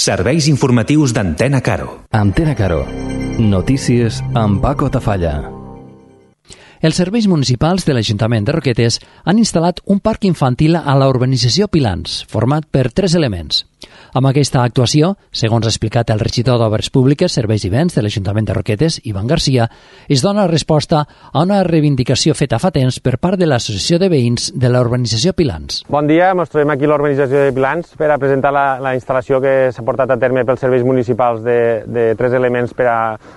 Serveis informatius d'Antena Caro. Antena Caro. Notícies amb Paco Tafalla. Els serveis municipals de l'Ajuntament de Roquetes han instal·lat un parc infantil a la urbanització Pilans, format per 3 elements. Amb aquesta actuació, segons ha explicat el regidor d'Obres Públiques, Serveis i Béns de l'Ajuntament de Roquetes, Ivan Garcia, es dona resposta a una reivindicació feta fa temps per part de l'Associació de Veïns de la urbanització Pilans. Bon dia, ens trobem aquí a l'urbanització de Pilans per a presentar la instal·lació que s'ha portat a terme pels serveis municipals de 3 elements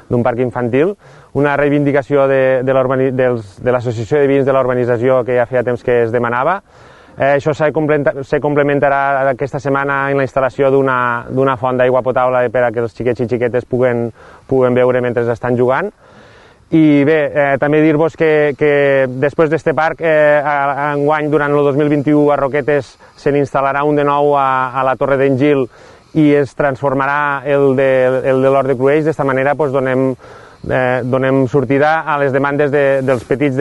d'un parc infantil, una reivindicació de l'Associació de Veïns de l'urbanització que ja feia temps que es demanava. Això se complementarà aquesta setmana en la instal·lació d'una font d'aigua potable per a que els xiquets i xiquetes puguen beure mentre estan jugant. I bé, també dir-vos que després d'aquest parc, enguany, durant el 2021, a Roquetes se n'instal·larà un de nou a la Torre d'en Gil i es transformarà el de l'Hort de Cruells. D'esta manera donem sortida a les demandes dels petits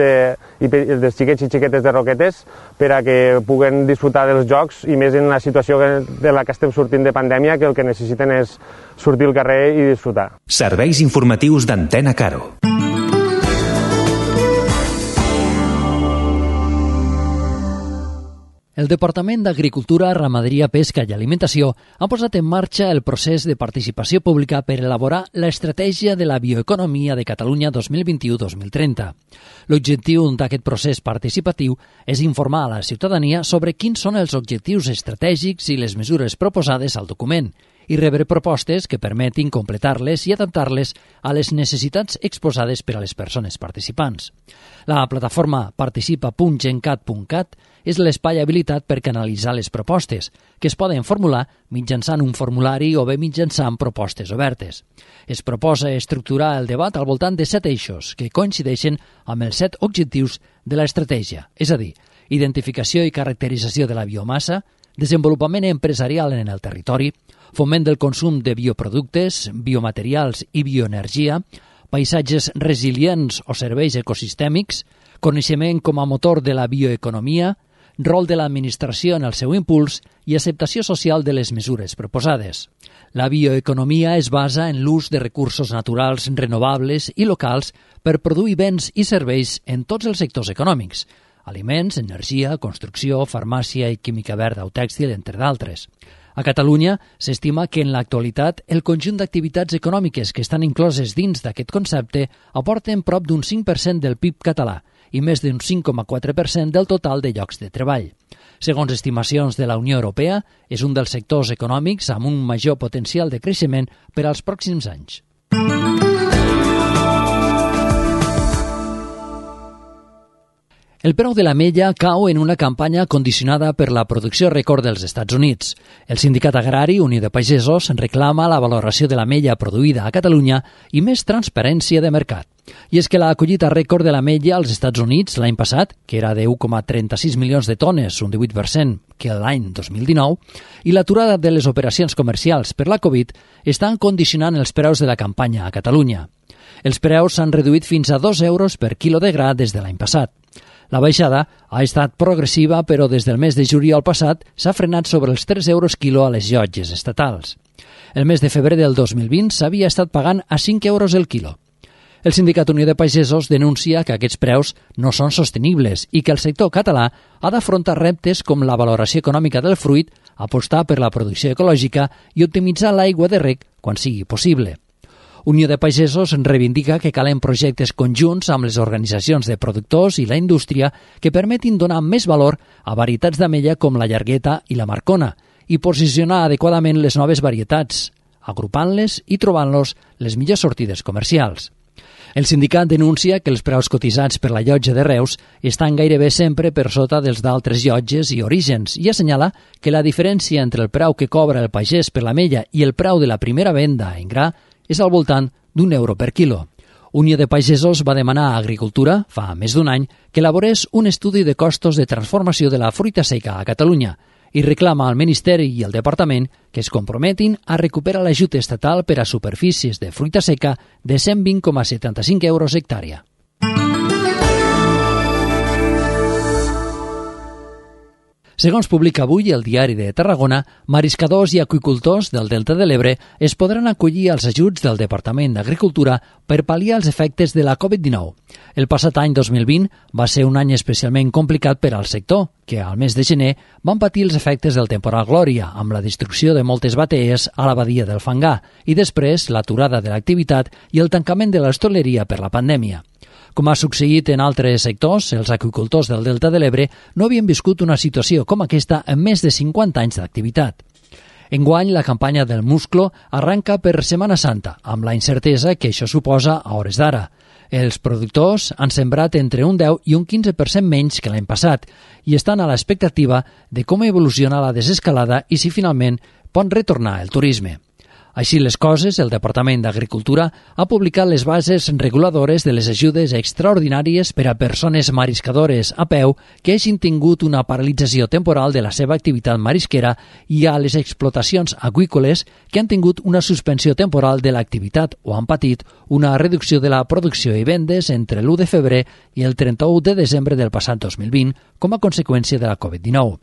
i dels xiquets i xiquetes de Roquetes per a que puguen disfrutar dels jocs, i més en la situació de la que estem sortint de pandèmia, que el que necessiten és sortir al carrer i disfrutar. Serveis informatius d'Antena Caro. El Departament d'Agricultura, Ramaderia, Pesca i Alimentació ha posat en marxa el procés de participació pública per elaborar l'Estratègia de la Bioeconomia de Catalunya 2021-2030. L'objectiu d'aquest procés participatiu és informar a la ciutadania sobre quins són els objectius estratègics i les mesures proposades al document i rebre propostes que permetin completar-les i adaptar-les a les necessitats exposades per a les persones participants. La plataforma participa.gencat.cat és l'espai habilitat per canalitzar les propostes, que es poden formular mitjançant un formulari o bé mitjançant propostes obertes. Es proposa estructurar el debat al voltant de 7 eixos que coincideixen amb els 7 objectius de l'estratègia, és a dir, identificació i caracterització de la biomassa, desenvolupament empresarial en el territori, foment del consum de bioproductes, biomaterials i bioenergia, paisatges resilients o serveis ecosistèmics, coneixement com a motor de la bioeconomia, rol de l'administració en el seu impuls i acceptació social de les mesures proposades. La bioeconomia es basa en l'ús de recursos naturals renovables i locals per produir béns i serveis en tots els sectors econòmics: aliments, energia, construcció, farmàcia i química verda o tèxtil, entre d'altres. A Catalunya s'estima que en l'actualitat el conjunt d'activitats econòmiques que estan incloses dins d'aquest concepte aporten prop d'un 5% del PIB català i més d'un 5,4% del total de llocs de treball. Segons estimacions de la Unió Europea, és un dels sectors econòmics amb un major potencial de creixement per als pròxims anys. El preu de l'ametlla cau en una campanya condicionada per la producció rècord dels Estats Units. El sindicat agrari Unió de Pagesos reclama la valoració de l'ametlla produïda a Catalunya i més transparència de mercat. I és que la collita rècord de l'ametlla als Estats Units l'any passat, que era de 1,36 milions de tones, un 18% que l'any 2019, i l'aturada de les operacions comercials per la Covid estan condicionant els preus de la campanya a Catalunya. Els preus s'han reduït fins a 2 euros per quilo de gra des de l'any passat. La baixada ha estat progressiva, però des del mes de juliol passat s'ha frenat sobre els 3 euros quilo a les llotges estatals. El mes de febrer del 2020 s'havia estat pagant a 5 euros el quilo. El Sindicat Unió de Pagesos denuncia que aquests preus no són sostenibles i que el sector català ha d'afrontar reptes com la valoració econòmica del fruit, apostar per la producció ecològica i optimitzar l'aigua de reg quan sigui possible. Unió de Pagesos reivindica que calen projectes conjunts amb les organitzacions de productors i la indústria que permetin donar més valor a varietats d'ametlla com la llargueta i la marcona i posicionar adequadament les noves varietats, agrupant-les i trobant-los les millors sortides comercials. El sindicat denuncia que els preus cotitzats per la llotja de Reus estan gairebé sempre per sota dels d'altres llotges i orígens i assenyala que la diferència entre el preu que cobra el pagès per l'ametlla i el preu de la primera venda en gra és al voltant d'1 euro per quilo. Unió de Pagesos va demanar a Agricultura, fa més d'un any, que elaborés un estudi de costos de transformació de la fruita seca a Catalunya i reclama al Ministeri i al Departament que es comprometin a recuperar l'ajut estatal per a superfícies de fruita seca de 120,75 euros hectàrea. Segons publica avui el Diari de Tarragona, mariscadors i aqüicultors del Delta de l'Ebre es podran acollir als ajuts del Departament d'Agricultura per pal·liar els efectes de la Covid-19. El passat any 2020 va ser un any especialment complicat per al sector, que al mes de gener van patir els efectes del temporal Glòria, amb la destrucció de moltes batees a la badia del Fangar, i després l'aturada de l'activitat i el tancament de l'hostaleria per la pandèmia. Com ha succeït en altres sectors, els aqüicultors del Delta de l'Ebre no havien viscut una situació com aquesta en més de 50 anys d'activitat. Enguany, la campanya del musclo arranca per Setmana Santa, amb la incertesa que això suposa a hores d'ara. Els productors han sembrat entre un 10 i un 15% menys que l'any passat i estan a l'expectativa de com evoluciona la desescalada i si finalment pot retornar el turisme. Així les coses, el Departament d'Agricultura ha publicat les bases reguladores de les ajudes extraordinàries per a persones mariscadores a peu que hagin tingut una paralització temporal de la seva activitat marisquera i a les explotacions aqüícoles que han tingut una suspensió temporal de l'activitat o han patit una reducció de la producció i vendes entre l'1 de febrer i el 31 de desembre del passat 2020 com a conseqüència de la Covid-19.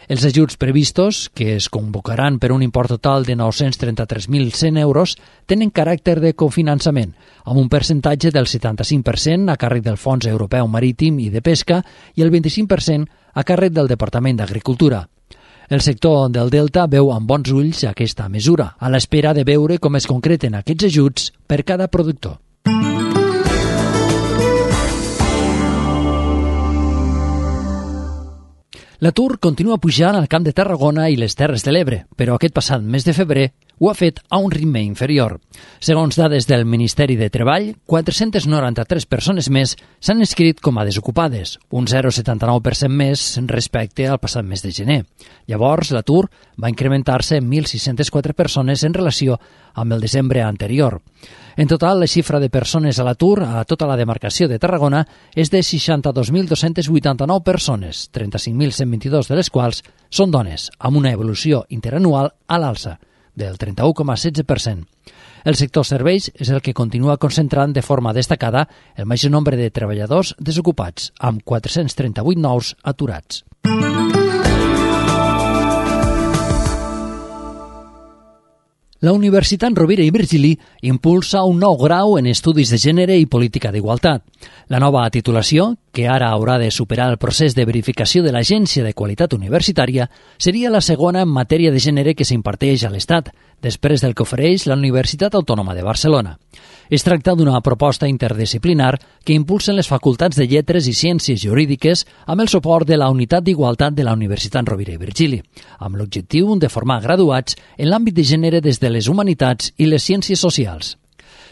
Els ajuts previstos, que es convocaran per un import total de 933.100 euros, tenen caràcter de cofinançament, amb un percentatge del 75% a càrrec del Fons Europeu Marítim i de Pesca i el 25% a càrrec del Departament d'Agricultura. El sector del Delta veu amb bons ulls aquesta mesura, a l'espera de veure com es concreten aquests ajuts per cada productor. L'atur continua pujant al Camp de Tarragona i les Terres de l'Ebre, però aquest passat mes de febrer ho ha fet a un ritme inferior. Segons dades del Ministeri de Treball, 493 persones més s'han inscrit com a desocupades, un 0,79% més respecte al passat mes de gener. Llavors, l'atur va incrementar-se en 1.604 persones en relació amb el desembre anterior. En total, la xifra de persones a l'atur a tota la demarcació de Tarragona és de 62.289 persones, 35.122 de les quals són dones, amb una evolució interanual a l'alça, del 31,16%. El sector serveis és el que continua concentrant de forma destacada el major nombre de treballadors desocupats, amb 438 nous aturats. La Universitat Rovira i Virgili impulsa un nou grau en Estudis de Gènere i Política d'Igualtat. La nova titulació, que ara haurà de superar el procés de verificació de l'Agència de Qualitat Universitària, seria la segona en matèria de gènere que s'imparteix a l'Estat, després del que ofereix la Universitat Autònoma de Barcelona. Es tracta d'una proposta interdisciplinar que impulsen les facultats de Lletres i Ciències Jurídiques amb el suport de la Unitat d'Igualtat de la Universitat Rovira i Virgili, amb l'objectiu de formar graduats en l'àmbit de gènere des de les humanitats i les ciències socials.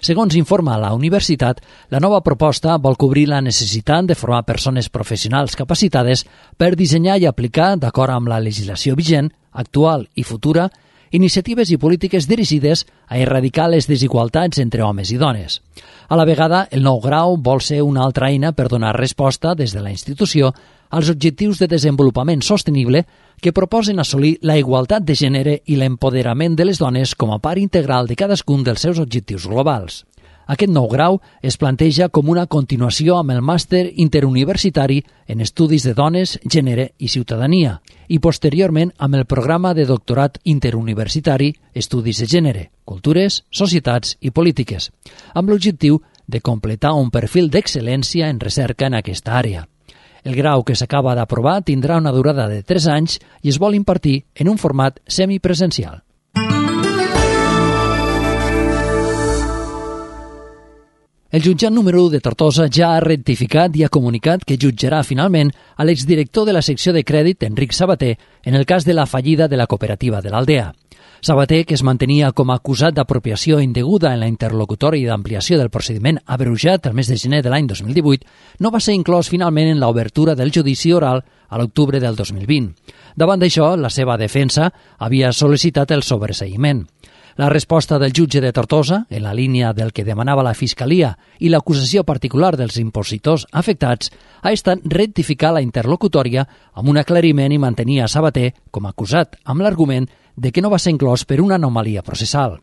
Segons informa la universitat, la nova proposta vol cobrir la necessitat de formar persones professionals capacitades per dissenyar i aplicar, d'acord amb la legislació vigent, actual i futura, iniciatives i polítiques dirigides a erradicar les desigualtats entre homes i dones. A la vegada, el nou grau vol ser una altra eina per donar resposta des de la institució als objectius de desenvolupament sostenible que proposen assolir la igualtat de gènere i l'empoderament de les dones com a part integral de cadascun dels seus objectius globals. Aquest nou grau es planteja com una continuació amb el màster interuniversitari en Estudis de Dones, Gènere i Ciutadania i posteriorment amb el programa de doctorat interuniversitari Estudis de Gènere, Cultures, Societats i Polítiques, amb l'objectiu de completar un perfil d'excel·lència en recerca en aquesta àrea. El grau que s'acaba d'aprovar tindrà una durada de 3 anys i es vol impartir en un format semipresencial. El jutjat número 1 de Tortosa ja ha rectificat i ha comunicat que jutjarà finalment a l'exdirector de la secció de crèdit, Enric Sabater, en el cas de la fallida de la cooperativa de l'Aldea. Sabater, que es mantenia com a acusat d'apropiació indeguda en la interlocutòria d'ampliació del procediment abreujat el mes de gener de l'any 2018, no va ser inclòs finalment en l'obertura del judici oral a l'octubre del 2020. Davant d'això, la seva defensa havia sol·licitat el sobreseïment. La resposta del jutge de Tortosa, en la línia del que demanava la Fiscalia i l'acusació particular dels impositors afectats, ha estat rectificar la interlocutòria amb un aclariment i mantenir a Sabater com a acusat, amb l'argument de que no va ser inclòs per una anomalia processal.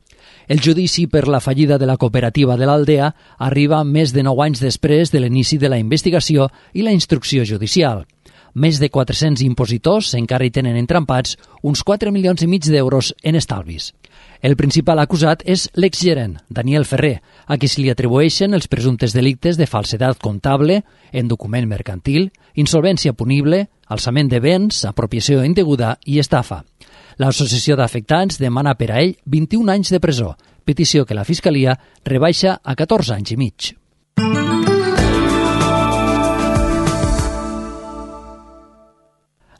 El judici per la fallida de la cooperativa de l'Aldea arriba més de 9 anys després de l'inici de la investigació i la instrucció judicial. més de 400 impositors encara hi tenen entrampats uns 4,5 milions d'euros en estalvis. El principal acusat és l'exgerent, Daniel Ferrer, a qui se li atribueixen els presumptes delictes de falsedat comptable, en document mercantil, insolvència punible, alçament de béns, apropiació indeguda i estafa. L'associació d'afectats demana per a ell 21 anys de presó, petició que la Fiscalia rebaixa a 14 anys i mig.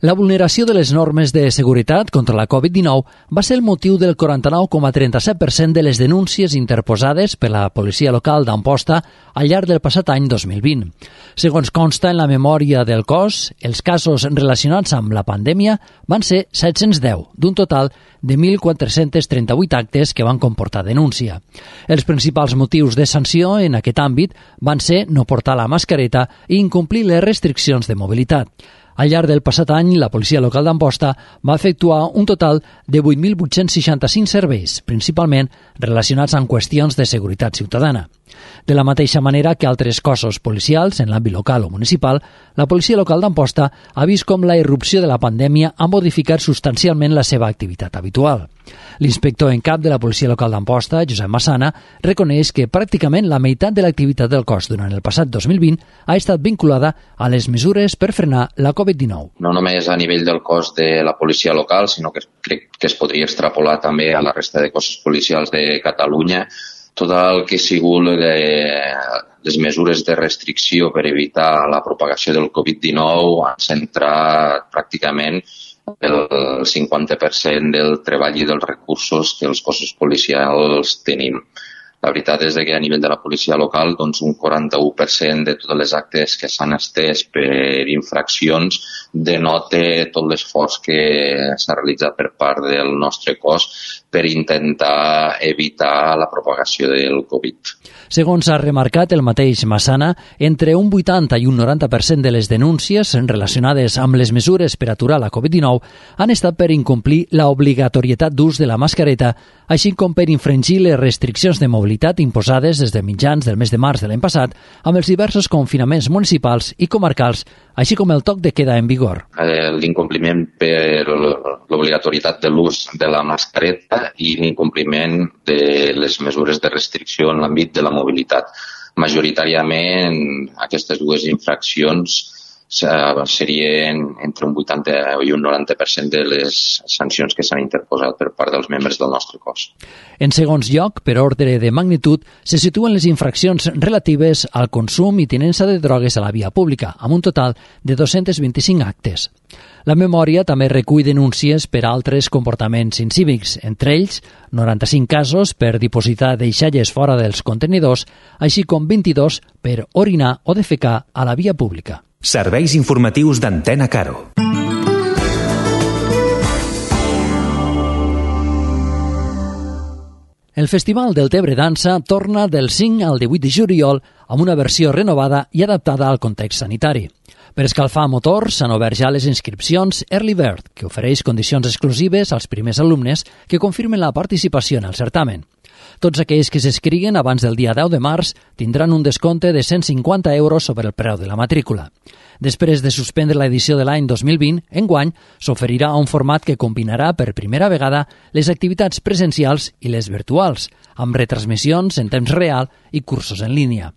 La vulneració de les normes de seguretat contra la Covid-19 va ser el motiu del 49,37% de les denúncies interposades per la policia local d'Amposta al llarg del passat any 2020. Segons consta en la memòria del cos, els casos relacionats amb la pandèmia van ser 710, d'un total de 1.438 actes que van comportar denúncia. Els principals motius de sanció en aquest àmbit van ser no portar la mascareta i incomplir les restriccions de mobilitat. Al llarg del passat any, la policia local d'Amposta va efectuar un total de 8.865 serveis, principalment relacionats amb qüestions de seguretat ciutadana. De la mateixa manera que altres cossos policials en l'àmbit local o municipal, la policia local d'Amposta ha vist com la irrupció de la pandèmia ha modificat substancialment la seva activitat habitual. L'inspector en cap de la policia local d'Amposta, Josep Massana, reconeix que pràcticament la meitat de l'activitat del cos durant el passat 2020 ha estat vinculada a les mesures per frenar la Covid-19. No només a nivell del cos de la policia local, sinó que crec que es podria extrapolar també a la resta de cossos policials de Catalunya. Tot el que ha sigut les mesures de restricció per evitar la propagació del Covid-19 han centrat pràcticament el 50% del treball i dels recursos que els cossos policials tenim. La veritat és que a nivell de la policia local doncs un 41% de totes les actes que s'han estès per infraccions denota tot l'esforç que s'ha realitzat per part del nostre cos per intentar evitar la propagació del Covid. Segons ha remarcat el mateix Massana, entre un 80 i un 90% de les denúncies relacionades amb les mesures per aturar la Covid-19 han estat per incomplir l'obligatorietat d'ús de la mascareta, així com per infringir les restriccions de mobilitat imposades des de mitjans del mes de març de l'any passat amb els diversos confinaments municipals i comarcals, així com el toc de queda en vigor. L'incompliment per l'obligatorietat de l'ús de la mascareta i l'incompliment de les mesures de restricció en l'àmbit de la mobilitat. Majoritàriament aquestes dues infraccions serien entre un 80 i un 90% de les sancions que s'han interposat per part dels membres del nostre cos. En segons lloc, per ordre de magnitud, se situen les infraccions relatives al consum i tinença de drogues a la via pública, amb un total de 225 actes. La memòria també recull denúncies per altres comportaments incívics, entre ells 95 casos per dipositar deixalles fora dels contenidors, així com 22 per orinar o defecar a la via pública. Serveis informatius d'Antena Caro. El Festival del Tebre Dansa torna del 5 al 18 de juliol amb una versió renovada i adaptada al context sanitari. Per escalfar motors s'han obert ja les inscripcions Early Bird, que ofereix condicions exclusives als primers alumnes que confirmen la participació en el certamen. Tots aquells que s'escriguen abans del dia 10 de març tindran un descompte de 150 euros sobre el preu de la matrícula. Després de suspendre l'edició de l'any 2020, enguany s'oferirà un format que combinarà per primera vegada les activitats presencials i les virtuals, amb retransmissions en temps real i cursos en línia.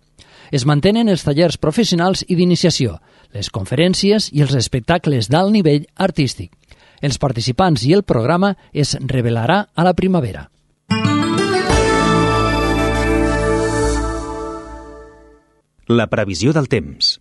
Es mantenen els tallers professionals i d'iniciació, les conferències i els espectacles d'alt nivell artístic. Els participants i el programa es revelarà a la primavera. La previsió del temps.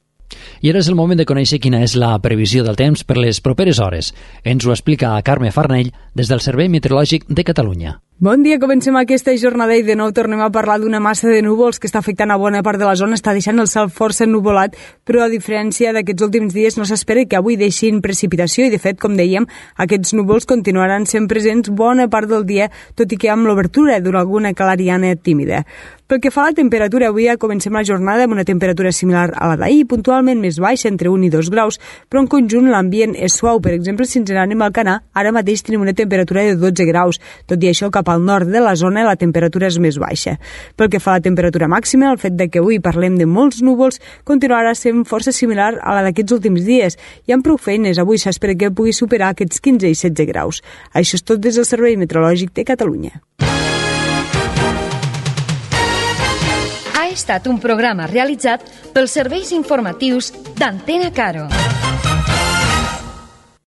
I ara és el moment de conèixer quina és la previsió del temps per les properes hores. Ens ho explica Carme Farnell des del Servei Meteorològic de Catalunya. Bon dia, comencem aquesta jornada i de nou tornem a parlar d'una massa de núvols que està afectant a bona part de la zona, està deixant el cel força ennuvolat, però a diferència d'aquests últims dies no s'espera que avui deixin precipitació i de fet, com dèiem, aquests núvols continuaran sent presents bona part del dia, tot i que amb l'obertura d'una alguna clariana tímida. Pel que fa a la temperatura, avui ja comencem la jornada amb una temperatura similar a la d'ahir, puntualment més baixa, entre 1 i 2 graus, però en conjunt l'ambient és suau. Per exemple, si ens n'anem al Alcanar, ara mateix tenim una temperatura de 12 graus. Tot i això, cap al nord de la zona la temperatura és més baixa. Pel que fa a la temperatura màxima, el fet de que avui parlem de molts núvols continuarà sent força similar a la d'aquests últims dies. I amb prou feines, avui s'espera que pugui superar aquests 15 i 16 graus. Això és tot des del Servei Meteorològic de Catalunya. Ha estat un programa realitzat pels serveis informatius d'Antena Caro.